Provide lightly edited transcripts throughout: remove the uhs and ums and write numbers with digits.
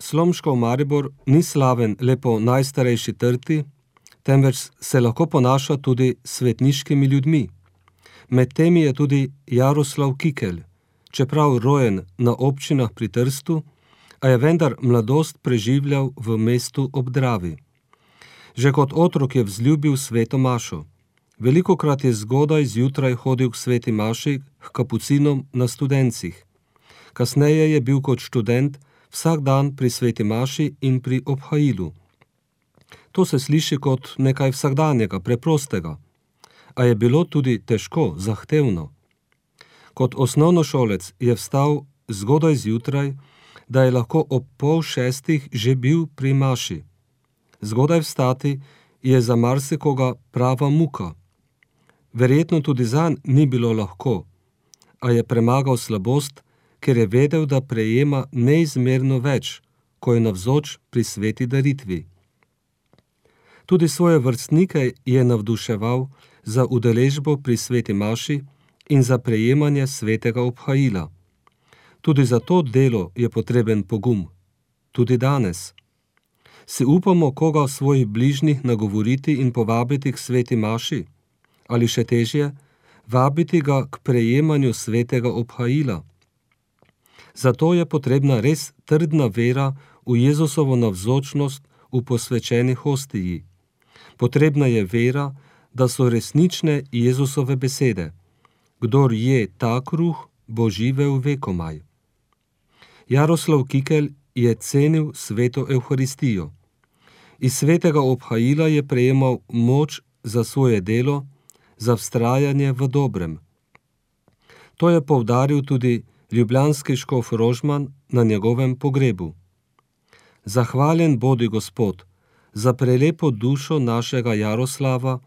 Slomškov Maribor ni slaven le po najstarejši trti, temveč se lahko ponaša tudi s svetniškimi ljudmi. Med temi je tudi Jaroslav Kikelj, čeprav rojen na občinah pri Trstu, a je vendar mladost preživljal v mestu ob Dravi. Že kot otrok je vzljubil sveto mašo. Velikokrat je zgodaj zjutraj hodil k sveti maši k kapucinom na Studencih. Kasneje je bil kot študent vsak dan pri sveti maši in pri obhajilu. To se sliši kot nekaj vsakdanjega, preprostega, a je bilo tudi težko, zahtevno. Kot osnovnošolec je vstal zgodaj zjutraj, da je lahko ob 5:30 že bil pri maši. Zgodaj vstati je za marsikoga prava muka. Verjetno tudi zanj ni bilo lahko, a je premagal slabost, ker je vedel, da prejema neizmerno več, ko je navzoč pri sveti daritvi. Tudi svoje vrstnike je navduševal za udeležbo pri sveti maši in za prejemanje svetega obhajila. Tudi za to delo je potreben pogum. Tudi danes. Si upamo koga svojih bližnjih nagovoriti in povabiti k sveti maši? Ali še težje, vabiti ga k prejemanju svetega obhajila? Zato je potrebna res trdna vera v Jezusovo navzočnost v posvečeni hostiji. Potrebna je vera, da so resnične Jezusove besede. Kdor je ta kruh, bo živel vekomaj. Jaroslav Kikelj je cenil sveto Evharistijo. Iz svetega obhajila je prejemal moč za svoje delo, za vztrajanje v dobrem. To je poudaril tudi ljubljanski škof Rožman na njegovem pogrebu. Zahvaljen bodi Gospod za prelepo dušo našega Jaroslava,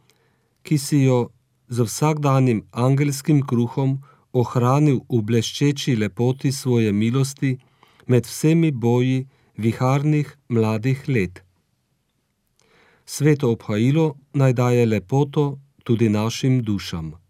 ki si jo z vsakdanjim angelskim kruhom ohranil v bleščeči lepoti svoje milosti med vsemi boji viharnih mladih let. Sveto obhajilo naj daje lepoto tudi našim dušam.